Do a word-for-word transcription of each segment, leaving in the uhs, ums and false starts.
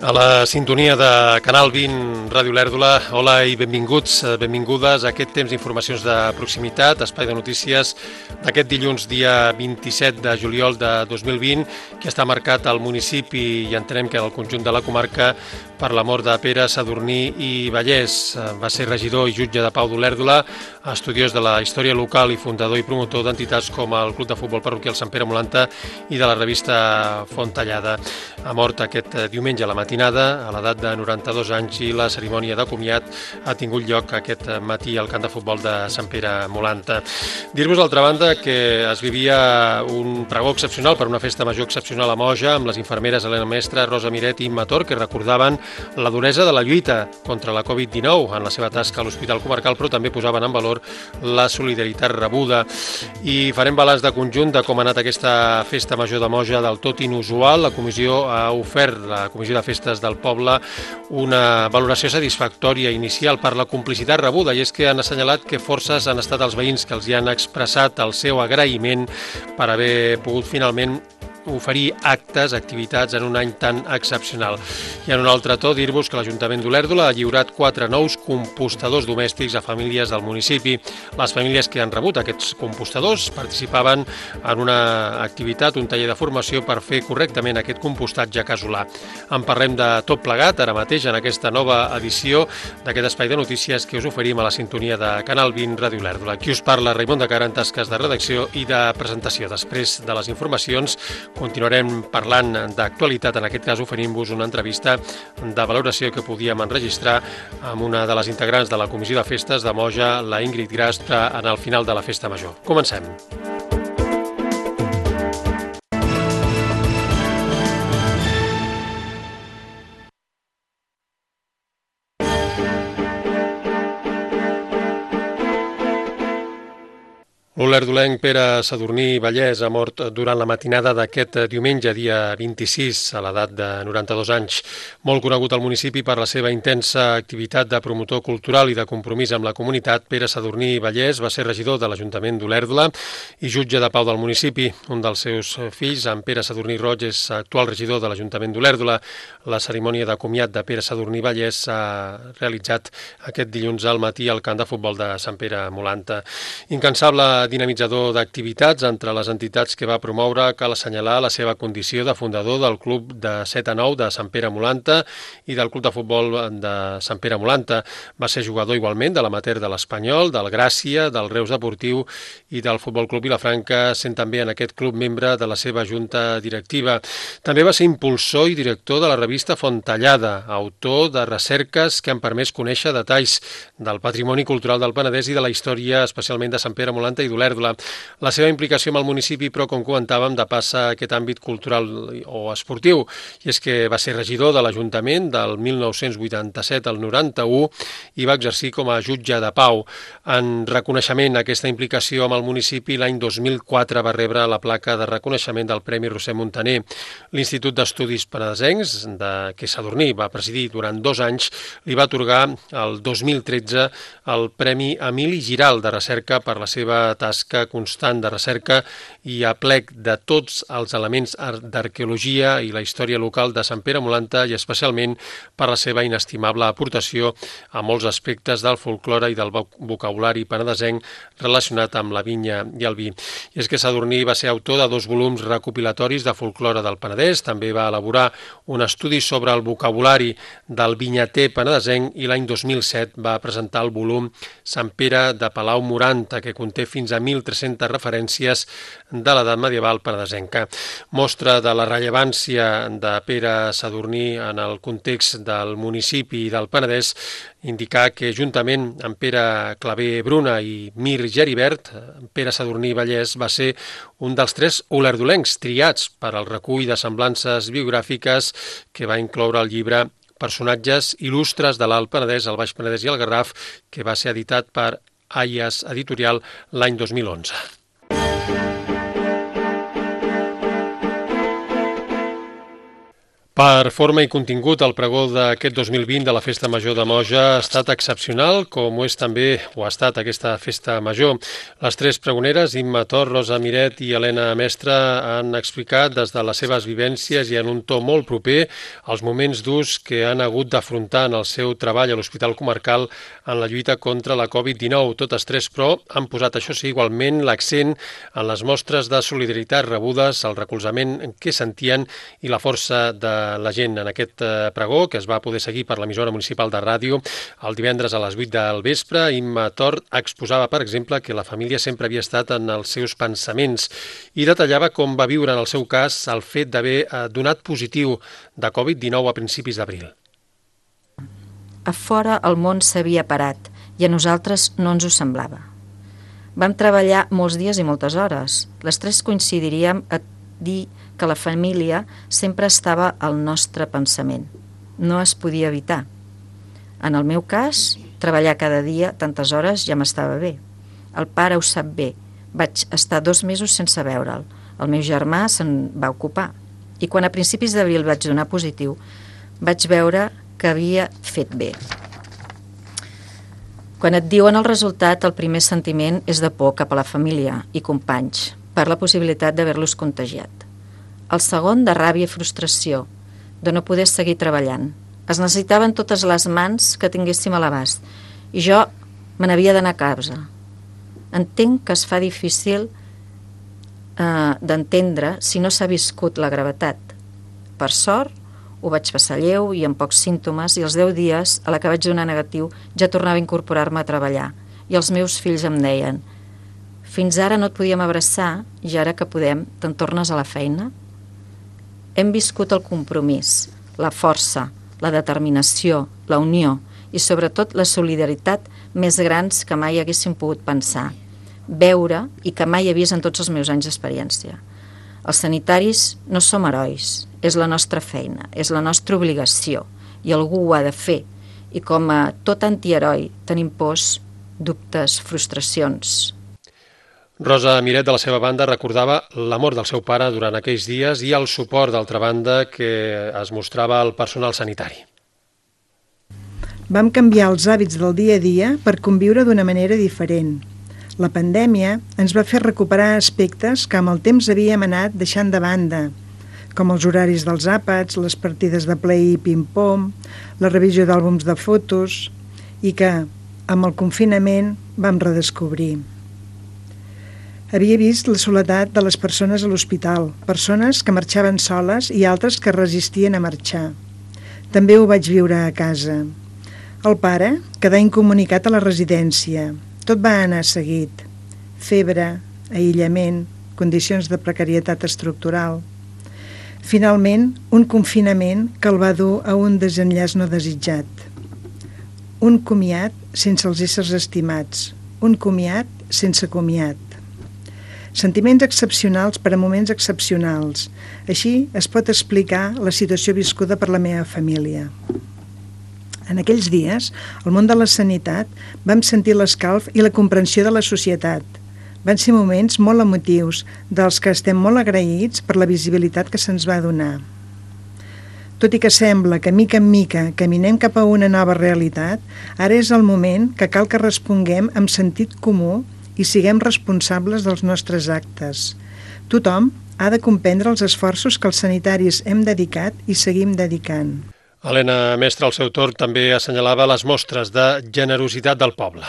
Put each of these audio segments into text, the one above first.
A la sintonia de Canal vint, Ràdio Lèrdula, hola i benvinguts, benvingudes a aquest temps d'informacions de proximitat, espai de notícies d'aquest dilluns, dia vint-i-set de juliol de dos mil vint, que està marcat al municipi i entenem que en el conjunt de la comarca per la mort de Pere Sadurní i Vallès. Va ser regidor i jutge de pau d'Olèrdola, estudiós de la història local i fundador i promotor d'entitats com el Club de Futbol Parroquial Sant Pere Molanta i de la revista Fontallada. Ha mort aquest diumenge a la matinada, a l'edat de noranta-dos anys, i la cerimònia de comiat ha tingut lloc aquest matí al camp de futbol de Sant Pere Molanta. Dir-vos, d'altra banda, que es vivia un pregó excepcional per una festa major excepcional a Moja, amb les infermeres Helena Mestre, Rosa Miret i Imma Tor, que recordaven la duresa de la lluita contra la covid dinou en la seva tasca a l'Hospital Comarcal, però també posaven en valor la solidaritat rebuda. I farem balanç de conjunt de com ha anat aquesta festa major de Moja del tot inusual. La comissió ha ofert, la Comissió de Festes del Poble, una valoració satisfactòria inicial per la complicitat rebuda, i és que han assenyalat que forces han estat els veïns que els hi han expressat el seu agraïment per haver pogut finalment oferir actes, activitats en un any tan excepcional. I en un altre to, dir-vos que l'Ajuntament d'Olèrdola ha lliurat quatre nous compostadors domèstics a famílies del municipi. Les famílies que han rebut aquests compostadors participaven en una activitat, un taller de formació per fer correctament aquest compostatge casolà. En parlem de tot plegat ara mateix en aquesta nova edició d'aquest espai de notícies que us oferim a la sintonia de Canal vint, Ràdio Lèrdula. Qui us parla, Raimon de Cara, en tasques de redacció i de presentació. Després de les informacions continuarem parlant d'actualitat, en aquest cas oferint-vos una entrevista de valoració que podíem enregistrar amb una de les integrants de la Comissió de Festes de Moja, la Ingrid Grast, en el final de la Festa Major. Comencem. L'olerdolenc Pere Sadurní i Vallès ha mort durant la matinada d'aquest diumenge, dia vint-i-sis, a l'edat de noranta-dos anys. Molt conegut al municipi per la seva intensa activitat de promotor cultural i de compromís amb la comunitat, Pere Sadurní i Vallès va ser regidor de l'Ajuntament d'Olèrdola i jutge de pau del municipi. Un dels seus fills, en Pere Sadurní Roig, és actual regidor de l'Ajuntament d'Olèrdola. La cerimònia de comiat de Pere Sadurní i Vallès s'ha realitzat aquest dilluns al matí al camp de futbol de Sant Pere Molanta. Incansable dinamitzador d'activitats entre les entitats que va promoure, cal assenyalar la seva condició de fundador del Club de set a nou de Sant Pere Molanta i del Club de Futbol de Sant Pere Molanta. Va ser jugador igualment de l'amateur de l'Espanyol, del Gràcia, del Reus Deportiu i del Futbol Club Vilafranca, sent també en aquest club membre de la seva junta directiva. També va ser impulsor i director de la revista Fontallada, autor de recerques que han permès conèixer detalls del patrimoni cultural del Penedès i de la història especialment de Sant Pere Molanta i d'Olèrdola. La seva implicació amb el municipi, però, com comentàvem, depassa aquest àmbit cultural o esportiu, i és que va ser regidor de l'Ajuntament del mil nou-cents vuitanta-set al noranta-u i va exercir com a jutge de pau. En reconeixement a aquesta implicació amb el municipi, l'any dos mil quatre va rebre la placa de reconeixement del Premi Roser Montaner. L'Institut d'Estudis Penedesencs, de què Sadurní va presidir durant dos anys, li va atorgar el dos mil tretze el Premi Emili Giral de recerca per la seva tasca constant de recerca i aplec de tots els elements d'arqueologia i la història local de Sant Pere Molanta, i especialment per la seva inestimable aportació a molts aspectes del folklore i del vocabulari penedesenc relacionat amb la vinya i el vi. I és que Sadurní va ser autor de dos volums recopilatoris de folklore del Penedès, també va elaborar un estudi sobre el vocabulari del vinyater penedesenc i l'any dos mil set va presentar el volum Sant Pere de Palau Moranta, que conté fins a mil tres-centes referències de l'edat medieval penedesenca. Mostra de la rellevància de Pere Sadurní en el context del municipi i del Penedès indicar que, juntament amb Pere Clavé Bruna i Mir Geribert, Pere Sadurní Vallès va ser un dels tres olerdolencs triats per al recull de semblances biogràfiques que va incloure el llibre Personatges il·lustres de l'Alt Penedès, el Baix Penedès i el Garraf, que va ser editat per Aias Editorial l'any dos mil onze. Per forma i contingut, el pregó d'aquest dos mil vint de la Festa Major de Moja ha estat excepcional, com ho és també, o ha estat aquesta Festa Major. Les tres pregoneres, Imma Tor, Rosa Miret i Helena Mestre, han explicat des de les seves vivències i en un to molt proper els moments durs que han hagut d'afrontar en el seu treball a l'Hospital Comarcal en la lluita contra la covid dinou. Totes tres, però, han posat, això sí, igualment l'accent en les mostres de solidaritat rebudes, el recolzament que sentien i la força de la gent en aquest pregó, que es va poder seguir per l'emissora municipal de ràdio el divendres a les vuit del vespre. Imma Tor exposava, per exemple, que la família sempre havia estat en els seus pensaments i detallava com va viure en el seu cas el fet d'haver donat positiu de covid dinou a principis d'abril. A fora el món s'havia parat i a nosaltres no ens ho semblava. Vam treballar molts dies i moltes hores. Les tres coincidiríem a dir que la família sempre estava al nostre pensament. No es podia evitar. En el meu cas, treballar cada dia tantes hores ja m'estava bé. El pare ho sap bé. Vaig estar dos mesos sense veure'l. El meu germà se'n va ocupar. I quan a principis d'abril vaig donar positiu, vaig veure que havia fet bé. Quan et diuen el resultat, el primer sentiment és de por cap a la família i companys per la possibilitat d'haver-los contagiat. El segon, de ràbia i frustració, de no poder seguir treballant. Es necessitaven totes les mans que tinguéssim a l'abast i jo me n'havia d'anar a casa. Entenc que es fa difícil eh, d'entendre si no s'ha viscut la gravetat. Per sort, ho vaig passar lleu i amb pocs símptomes i els deu dies a la que vaig donar negatiu ja tornava a incorporar-me a treballar i els meus fills em deien: fins ara no et podíem abraçar i ara que podem, te'n tornes a la feina? Hem viscut el compromís, la força, la determinació, la unió i sobretot la solidaritat més grans que mai haguéssim pogut pensar, veure i que mai he vist en tots els meus anys d'experiència. Els sanitaris no som herois, és la nostra feina, és la nostra obligació i algú ho ha de fer. I com a tot antiheroi tenim pors, dubtes, frustracions. Rosa Miret, de la seva banda, recordava l'amor del seu pare durant aquells dies i el suport, d'altra banda, que es mostrava al personal sanitari. Vam canviar els hàbits del dia a dia per conviure d'una manera diferent. La pandèmia ens va fer recuperar aspectes que amb el temps havíem anat deixant de banda, com els horaris dels àpats, les partides de play i ping-pong, la revisió d'àlbums de fotos, i que, amb el confinament, vam redescobrir. Havia vist la soledat de les persones a l'hospital, persones que marxaven soles i altres que resistien a marxar. També ho vaig viure a casa. El pare quedà incomunicat a la residència. Tot va anar seguit. Febre, aïllament, condicions de precarietat estructural. Finalment, un confinament que el va dur a un desenllaç no desitjat. Un comiat sense els éssers estimats. Un comiat sense comiat. Sentiments excepcionals per a moments excepcionals. Així es pot explicar la situació viscuda per la meva família. En aquells dies, al món de la sanitat, vam sentir l'escalf i la comprensió de la societat. Van ser moments molt emotius, dels que estem molt agraïts per la visibilitat que se'ns va donar. Tot i que sembla que mica en mica caminem cap a una nova realitat, ara és el moment que cal que responguem amb sentit comú i siguem responsables dels nostres actes. Tothom ha de comprendre els esforços que els sanitaris hem dedicat i seguim dedicant. Helena Mestre, al seu torn, també assenyalava les mostres de generositat del poble.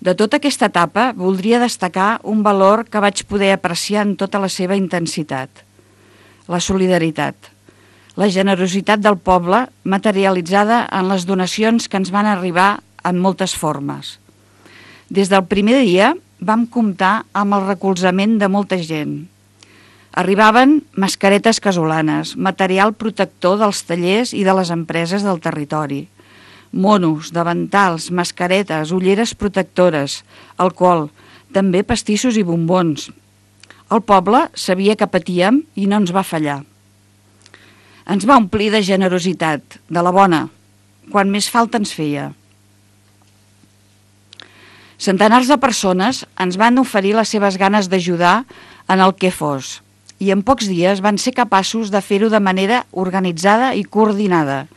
De tota aquesta etapa, voldria destacar un valor que vaig poder apreciar en tota la seva intensitat: la solidaritat. La generositat del poble materialitzada en les donacions que ens van arribar en moltes formes. Des del primer dia vam comptar amb el recolzament de molta gent. Arribaven mascaretes casolanes, material protector dels tallers i de les empreses del territori, monos, davantals, mascaretes, ulleres protectores, alcohol, també pastissos i bombons. El poble sabia que patíem i no ens va fallar. Ens va omplir de generositat, de la bona, quan més falta ens feia. Centenars de persones ens van oferir les seves ganes d'ajudar en el que fos i en pocs dies van ser capaços de fer-ho de manera organitzada i coordinada.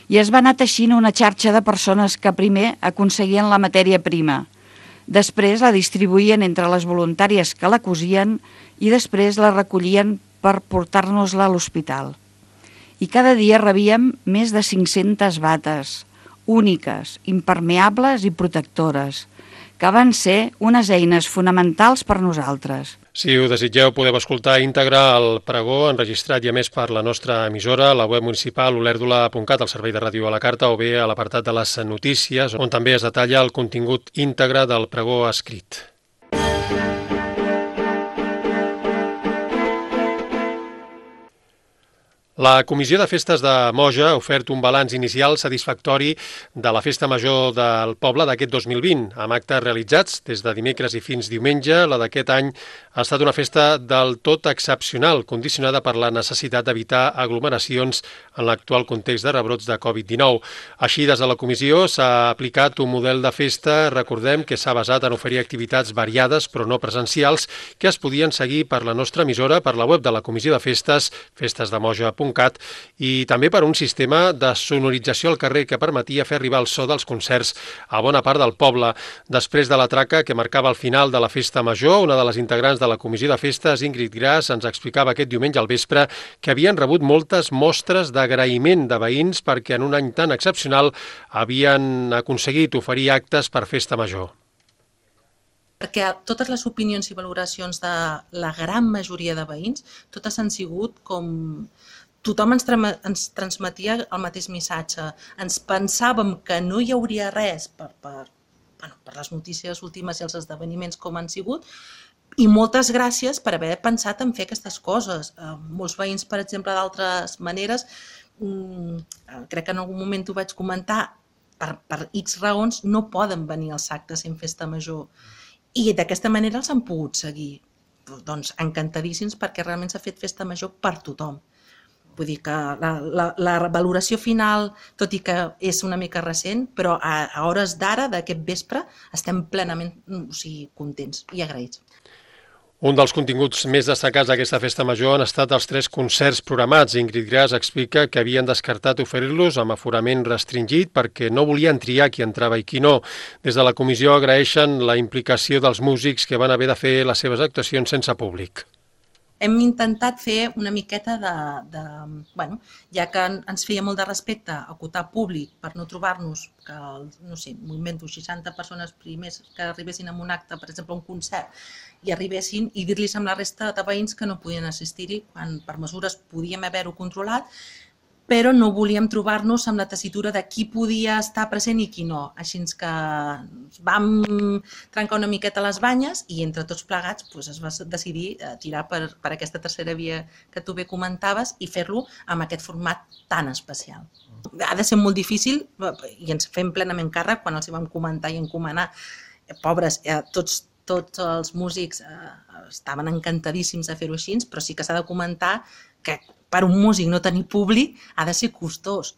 I es va anar teixint una xarxa de persones que primer aconseguien la matèria prima, després la distribuïen entre les voluntàries que la cosien i després la recollien per portar-nos-la a l'hospital. I cada dia rebíem més de cinc-centes bates, úniques, impermeables i protectores, que van ser unes eines fonamentals per nosaltres. Si ho desitgeu, podeu escoltar íntegre el pregó enregistrat i a més per la nostra emissora, la web municipal olèrdola punt cat, el servei de ràdio a la carta, o bé a l'apartat de les notícies, on també es detalla el contingut íntegre del pregó escrit. La Comissió de Festes de Moja ha ofert un balanç inicial satisfactori de la Festa Major del poble d'aquest dos mil vint, amb actes realitzats des de dimecres i fins diumenge. La d'aquest any ha estat una festa del tot excepcional, condicionada per la necessitat d'evitar aglomeracions en l'actual context de rebrots de covid dinou. Així, des de la comissió s'ha aplicat un model de festa, recordem, que s'ha basat en oferir activitats variades però no presencials que es podien seguir per la nostra emissora, per la web de la Comissió de Festes, festesdemoja punt cat, i també per un sistema de sonorització al carrer que permetia fer arribar el so dels concerts a bona part del poble. Després de la traca que marcava el final de la festa major, una de les integrants de la Comissió de Festes, Ingrid Gras, ens explicava aquest diumenge al vespre que havien rebut moltes mostres d'agraïment de veïns perquè en un any tan excepcional havien aconseguit oferir actes per festa major. Perquè totes les opinions i valoracions de la gran majoria de veïns, totes han sigut com... Tothom ens, ens transmetia el mateix missatge. Ens pensàvem que no hi hauria res per, per, bueno, per les notícies últimes i els esdeveniments com han sigut, i moltes gràcies per haver pensat en fer aquestes coses. Eh, molts veïns, per exemple, d'altres maneres, mm, crec que en algun moment ho vaig comentar, per, per X raons no poden venir als actes en festa major. I d'aquesta manera els han pogut seguir. Doncs encantadíssims perquè realment s'ha fet festa major per tothom. Vull dir que la, la, la valoració final, tot i que és una mica recent, però a, a hores d'ara, d'aquest vespre, estem plenament o sigui, contents i agraïts. Un dels continguts més destacats d'aquesta festa major han estat els tres concerts programats. Ingrid Gras explica que havien descartat oferir-los amb aforament restringit perquè no volien triar qui entrava i qui no. Des de la comissió agraeixen la implicació dels músics que van haver de fer les seves actuacions sense públic. Hem intentat fer una miqueta de, de bueno, ja que ens feia molt de respecte acotar públic per no trobar-nos que, no sé, m'invento seixanta persones primers que arribessin a un acte, per exemple, a un concert, i arribessin i dir-los amb la resta de veïns que no podien assistir-hi, quan per mesures podíem haver-ho controlat, però no volíem trobar-nos amb la tessitura de qui podia estar present i qui no. Així que vam trencar una miqueta les banyes i entre tots plegats doncs, es va decidir tirar per, per aquesta tercera via que tu bé comentaves i fer-lo amb aquest format tan especial. Ha de ser molt difícil i ens fem plenament càrrec quan els hi vam comentar i encomanar. Pobres, tots, tots els músics estaven encantadíssims de fer-ho així, però sí que s'ha de comentar que per un músic no tenir públic ha de ser costós.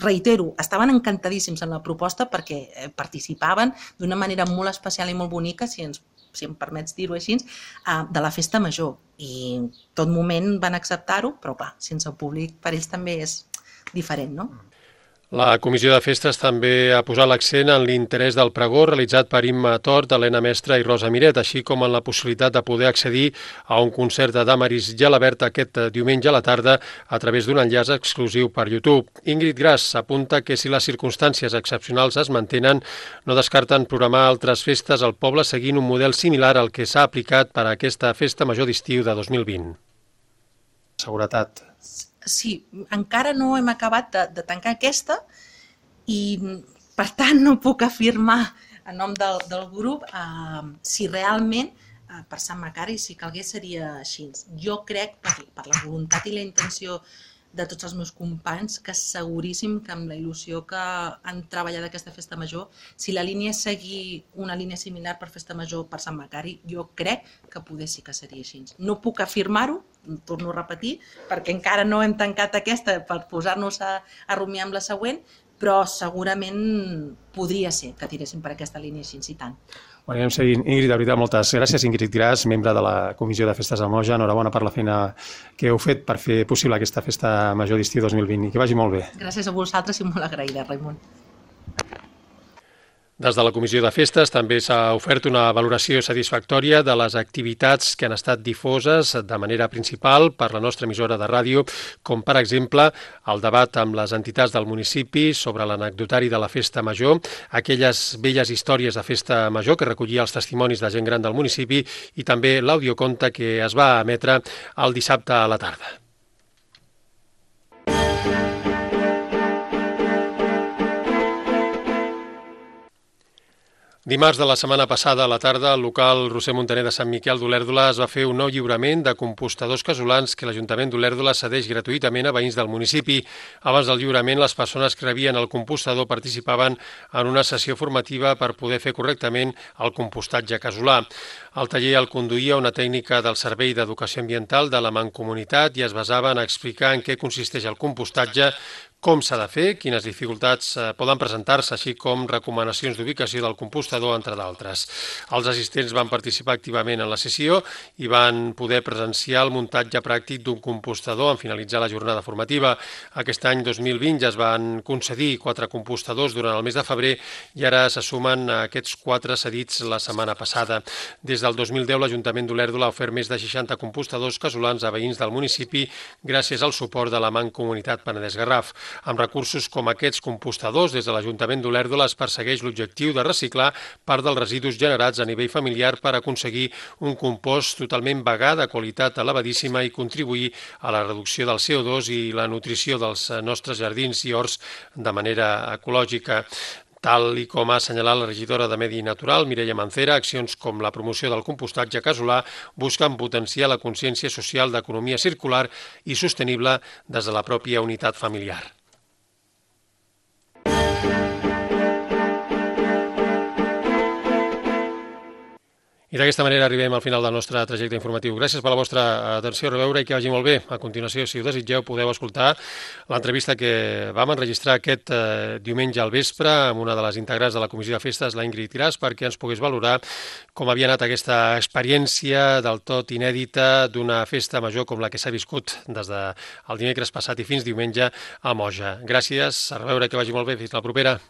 Reitero, estaven encantadíssims en la proposta perquè participaven d'una manera molt especial i molt bonica, si, ens, si em permets dir-ho així, de la festa major. I en tot moment van acceptar-ho, però clar, sense públic per ells també és diferent, no? La Comissió de Festes també ha posat l'accent en l'interès del pregó realitzat per Imma Tort, Helena Mestre i Rosa Miret, així com en la possibilitat de poder accedir a un concert de Damaris Gelabert aquest diumenge a la tarda a través d'un enllaç exclusiu per YouTube. Ingrid Gras apunta que si les circumstàncies excepcionals es mantenen, no descarten programar altres festes al poble seguint un model similar al que s'ha aplicat per a aquesta festa major d'estiu de dos mil vint. Seguretat. Sí, encara no hem acabat de, de tancar aquesta i per tant no puc afirmar en nom del, del grup eh, si realment eh, per Sant Macari si calgués seria així. Jo crec, per, per la voluntat i la intenció de tots els meus companys, que seguríssim que amb la il·lusió que han treballat aquesta festa major, si la línia és seguir una línia similar per festa major per Sant Macari, jo crec que poder sí que seria així. No puc afirmar-ho, torno a repetir, perquè encara no hem tancat aquesta per posar-nos a, a rumiar amb la següent, però segurament podria ser que tiréssim per aquesta línia així, i tant. Ho anirem seguint. Ingrid, de veritat, moltes gràcies. Ingrid Gras, membre de la Comissió de Festes del Moja. Enhorabona per la feina que heu fet per fer possible aquesta festa major d'estiu dos mil vint i que vagi molt bé. Gràcies a vosaltres i molt agraïda, Raimon. Des de la Comissió de Festes també s'ha ofert una valoració satisfactòria de les activitats que han estat difoses de manera principal per la nostra emissora de ràdio, com per exemple el debat amb les entitats del municipi sobre l'anecdotari de la Festa Major, aquelles velles històries de Festa Major que recollia els testimonis de gent gran del municipi i també l'audioconte que es va emetre el dissabte a la tarda. Dimarts de la setmana passada a la tarda, al local Roser Montaner de Sant Miquel d'Olèrdola es va fer un nou lliurament de compostadors casolans que l'Ajuntament d'Olèrdola cedeix gratuïtament a veïns del municipi. Abans del lliurament, les persones que rebien el compostador participaven en una sessió formativa per poder fer correctament el compostatge casolà. El taller el conduïa una tècnica del Servei d'Educació Ambiental de la Mancomunitat i es basava en explicar en què consisteix el compostatge, com s'ha de fer, quines dificultats poden presentar-se, així com recomanacions d'ubicació del compostador, entre d'altres. Els assistents van participar activament en la sessió i van poder presenciar el muntatge pràctic d'un compostador en finalitzar la jornada formativa. Aquest any dos mil vint ja es van concedir quatre compostadors durant el mes de febrer i ara se sumen aquests quatre cedits la setmana passada. Des del dos mil deu l'Ajuntament d'Olèrdola ha ofert més de seixanta compostadors casolans a veïns del municipi gràcies al suport de la Mancomunitat Penedès-Garraf. Amb recursos com aquests compostadors, des de l'Ajuntament d'Olèrdola es persegueix l'objectiu de reciclar part dels residus generats a nivell familiar per aconseguir un compost totalment vegà de qualitat elevadíssima i contribuir a la reducció del C O dos i la nutrició dels nostres jardins i horts de manera ecològica. Tal i com ha assenyalat la regidora de Medi Natural, Mireia Mancera, accions com la promoció del compostatge casolà busquen potenciar la consciència social d'economia circular i sostenible des de la pròpia unitat familiar. I d'aquesta manera arribem al final del nostre trajecte informatiu. Gràcies per la vostra atenció, a reveure i que vagi molt bé. A continuació, si ho desitgeu, podeu escoltar l'entrevista que vam enregistrar aquest eh, diumenge al vespre amb una de les integrants de la Comissió de Festes, la Ingrid Gras, perquè ens pogués valorar com havia anat aquesta experiència del tot inèdita d'una festa major com la que s'ha viscut des del dimecres passat i fins diumenge a Moja. Gràcies, a reveure, que vagi molt bé. Fins la propera.